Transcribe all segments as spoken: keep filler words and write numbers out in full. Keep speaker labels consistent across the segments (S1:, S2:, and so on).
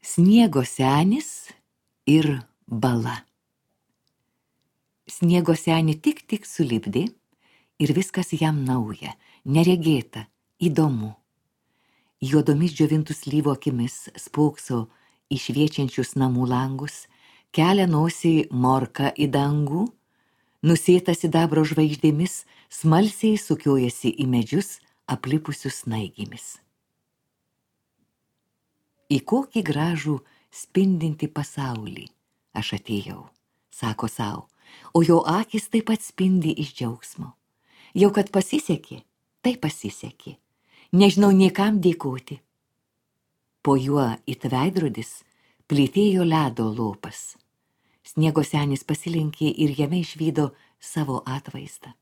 S1: Sniego senis ir bala. Sniego senį tik tik sulipdė ir viskas jam nauja, neregėta, įdomu. Juodomis džiovintų slyvų akimis spokso į šviečiančius namų langus, kelia nosį morka į dangų, nusėta sidabro žvaigždėmis, smalsiai sukiojasi į medžius aplipusius snaigėmis. Į kokį gražų spindintį pasaulį aš atėjau, sako sau, o jo akis taip pat spindi iš džiaugsmo. Jau kad pasisekė, tai pasisekė. Nežinau niekam dėkoti. Po juo it veidrodis plytėjo ledo lopas. Sniego senis pasilenkė ir jame išvydo savo atvaizdą.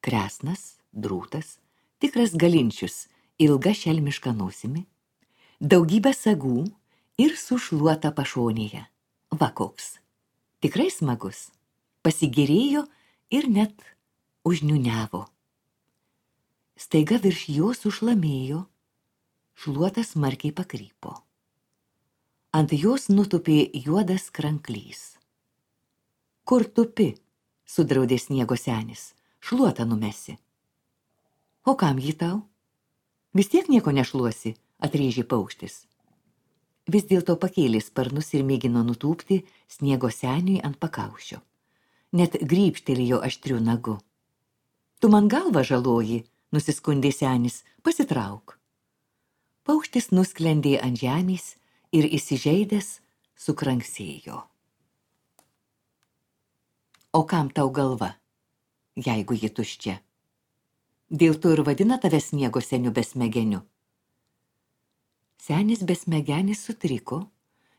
S1: Kresnas, drūtas, tikras galinčius, ilga šelmiška nosimi, daugybė sagų ir sušluota pašonėje. Va koks. Tikrai smagus. Pasigėrėjo ir net užniuniavo. Staiga virš jo sušlamėjo, šluotas smarkiai pakrypo. Ant jos nutupė juodas kranklys. Kur tupi, sudraudė sniego senis, šluotą numesi. O kam jį tau? Vis tiek nieko nešluosi, atrėžė paukštis. Vis dėlto pakėlė sparnus ir mėgino nutūpti sniego seniui ant pakaušio. Net grybštelėjo aštriu nagu. Tu man galvą žaloji, nusiskundė senis, pasitrauk. Paukštis nusklendė ant žemės ir įsižeidęs sukranksėjo. O kam tau galva, jeigu ji tuščia? Dėl to ir vadina tave sniego seniu besmegeniu. Senis besmegenis sutriko,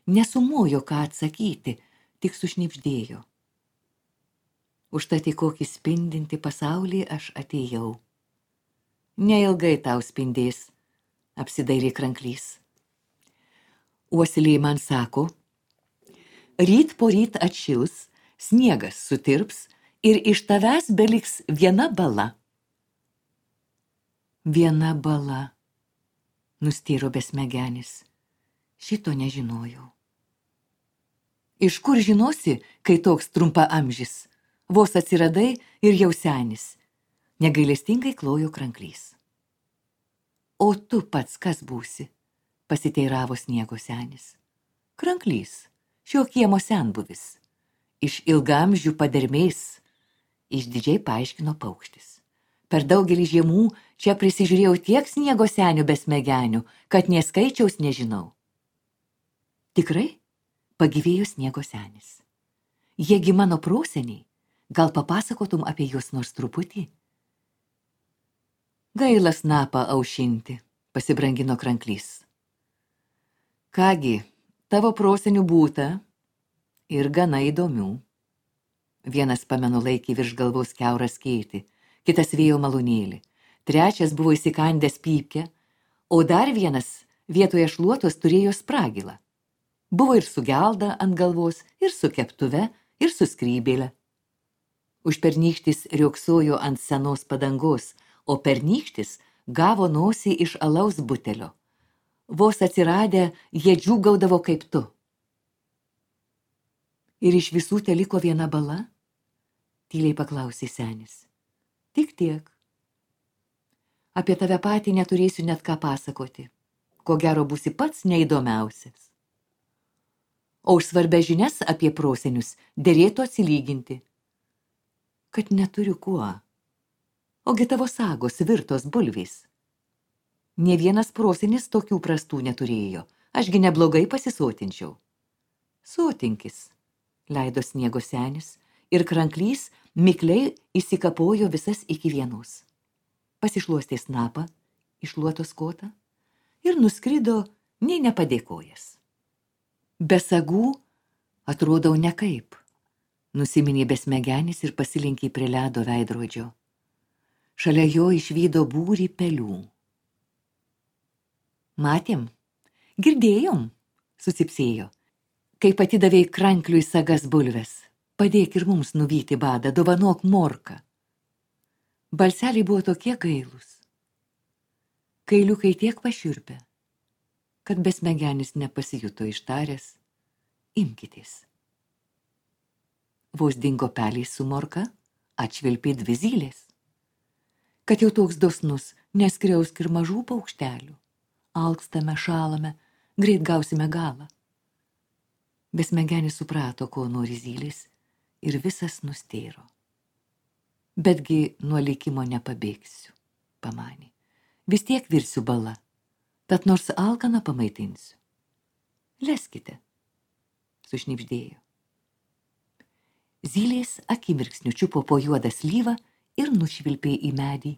S1: nesumojo ką atsakyti, tik sušnibždėjo. Užtat į kokį spindinti pasaulį aš atėjau. Neilgai tau spindės, apsidairė kranklys. Uosilė man sako, ryt po ryt atšils, sniegas sutirps ir iš tavęs beliks viena bala. Viena bala, nustėro besmegenis. Šito nežinojau. Iš kur žinosi, kai toks trumpaamžis? Vos atsiradai ir jau senis, negailestingai klojo kranklys. O tu pats kas būsi, pasiteiravo sniego senis. Kranklys, šio kiemo senbuvis, iš ilgaamžių padermės, išdidžiai paaiškino paukštis. Per daugelį žiemų čia prisižiūrėjau tiek sniego senių besmegenių, kad nė skaičiaus nežinau. Tikrai? Pagyvėjo sniego senis. Jiegi mano proseniai. Gal papasakotum apie juos nors truputį? Gaila snapą aušinti, pasibrangino kranklys. Kągi, tavo prosenių būta ir gana įdomių. Vienas pamenu laikį virš galvos kiaurą skėtį, kitas vėjo malūnėlį, trečias buvo įsikandęs pypkę, o dar vienas vietoje šluotos turėjo spragilą. Buvo ir su gelda ant galvos, ir su keptuve, ir su skrybėle. Užpernykštis rioksojo ant senos padangos, o pernykštis gavo nosį iš alaus butelio. Vos atsiradę, jie džiūgaudavo kaip tu. Ir iš visų teliko viena bala? Tyliai paklausė senis. Tik tiek. Apie tave patį neturėsiu net ką pasakoti. Ko gero būsi pats neįdomiausias. O už svarbę žinias apie prosenius derėtų atsilyginti. Kad neturiu kuo. Ogi tavo sagos virtos bulvės. Nė vienas prosenis tokių prastų neturėjo, ašgi neblogai pasisotinčiau. Sotinkis, leido sniego senis, ir kranklys mikliai įsikapojo visas iki vienos. Pasišluostė snapą, iššluotos kotą ir nuskrido nei nepadėkojęs. Be sagų atrodau nekaip. Nusiminė besmegenis ir pasilinkė prie ledo veidrodžio. Šalia jo išvydo būrį pelių. Matėm, girdėjom, susipsėjo, kai atidavei krankliui sagas bulves. Padėk ir mums nuvyti badą, dovanok morką. Balseliai buvo tokie gailūs. Kailiukai tiek pašiurpę, kad besmegenis nepasijuto ištaręs, imkitės. Vos dingo pelės su morka, atšvilpė dvi zylės. Kad jau toks dosnus, neskriausk ir mažų paukštelių. Alkstame, šalame, greit gausime galą. Besmegenis suprato, ko nori zylės, ir visas nustėro. Betgi nuo likimo nepabėgsiu, pamanė. Vis tiek virsiu bala, tad nors alkaną pamaitinsiu. Leskite, sušnibždėjo. Zylės akimirksniu čiupo po juodą slyvą ir nušvilpė į medį.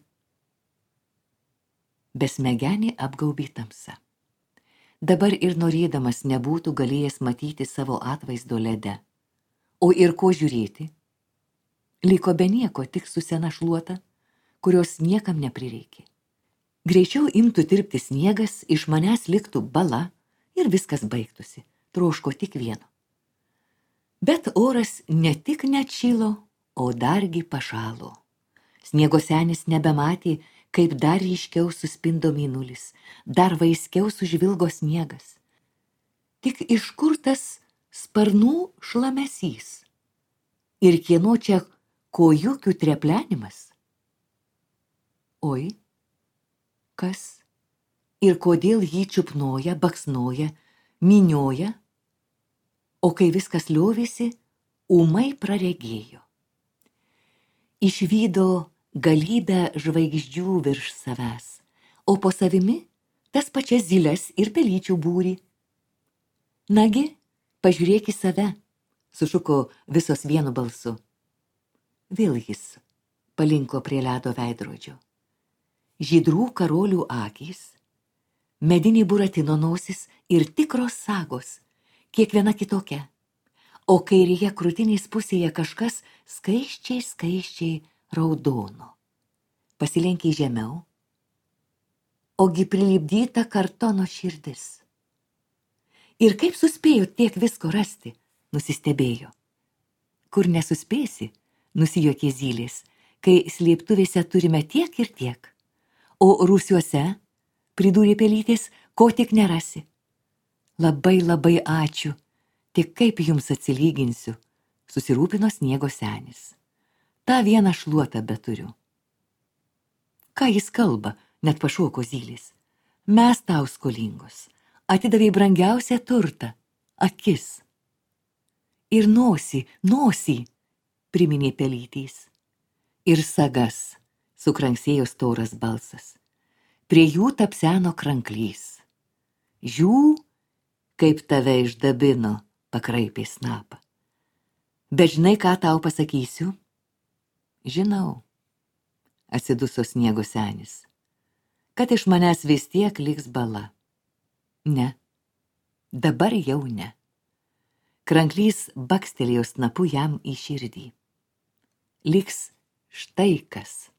S1: Besmegenį apgaubė tamsa. Dabar ir norėdamas nebūtų galėjęs matyti savo atvaizdo lede. O ir ko žiūrėti? Liko be nieko, tik su sena šluota, kurios niekam neprireikė. Greičiau imtų tirpti sniegas, iš manęs liktų bala ir viskas baigtųsi, troško tik vieno. Bet oras ne tik neatšilo, o dargi pašalo. Sniego senis nebematė, kaip dar ryškiau suspindo mėnulis, dar vaiskiau sužvilgo sniegas. Tik iš kur tas sparnų šlamesys? Ir kieno čia kojukių treplenimas? Oi, kas? Ir kodėl jį čiupnoja, baksnoja, minioja? O kai viskas liovėsi, ūmai praregėjo. Išvydo galybę žvaigždžių virš savęs, o po savimi tas pačias zyles ir pelyčių būrį. Nagi, pažiūrėk į save, sušuko visos vienu balsu. Vėl jis palinko prie ledo veidrodžio. Žydrų karolių akys, medinį buratino nosis ir tikros sagos, kiekviena kitokia, o kairėje krūtinės pusėje kažkas skaiščiai, skaiščiai raudono. Pasilenkė žemiau, ogi prilipdyta kartono širdis. Ir kaip suspėjo tiek visko rasti, nusistebėjo. Kur nesuspėsi, nusijuokė zylės, kai slėptuvėse turime tiek ir tiek, o rūsiuose, pridūrė pelytės, ko tik nerasi. Labai, labai ačiū, tik kaip jums atsilyginsiu, susirūpino sniego senis. Ta vieną šluotą beturiu. Ką jis kalba, net pašoko zylės. Mes tau skolingos, atidavei brangiausią turtą, akis. Ir nosį, nosį, priminė pelytys. Ir sagas, sukranksėjo storas balsas. Prie jų tapseno kranklys. Žiū, kaip tave išdabino, pakraipė snapą. Bet žinai, ką tau pasakysiu? Žinau, atsiduso sniego senis, kad iš manęs vis tiek liks bala. Ne, dabar jau ne. Kranklys bakstelėjo snapu jam į širdį. Liks štai kas.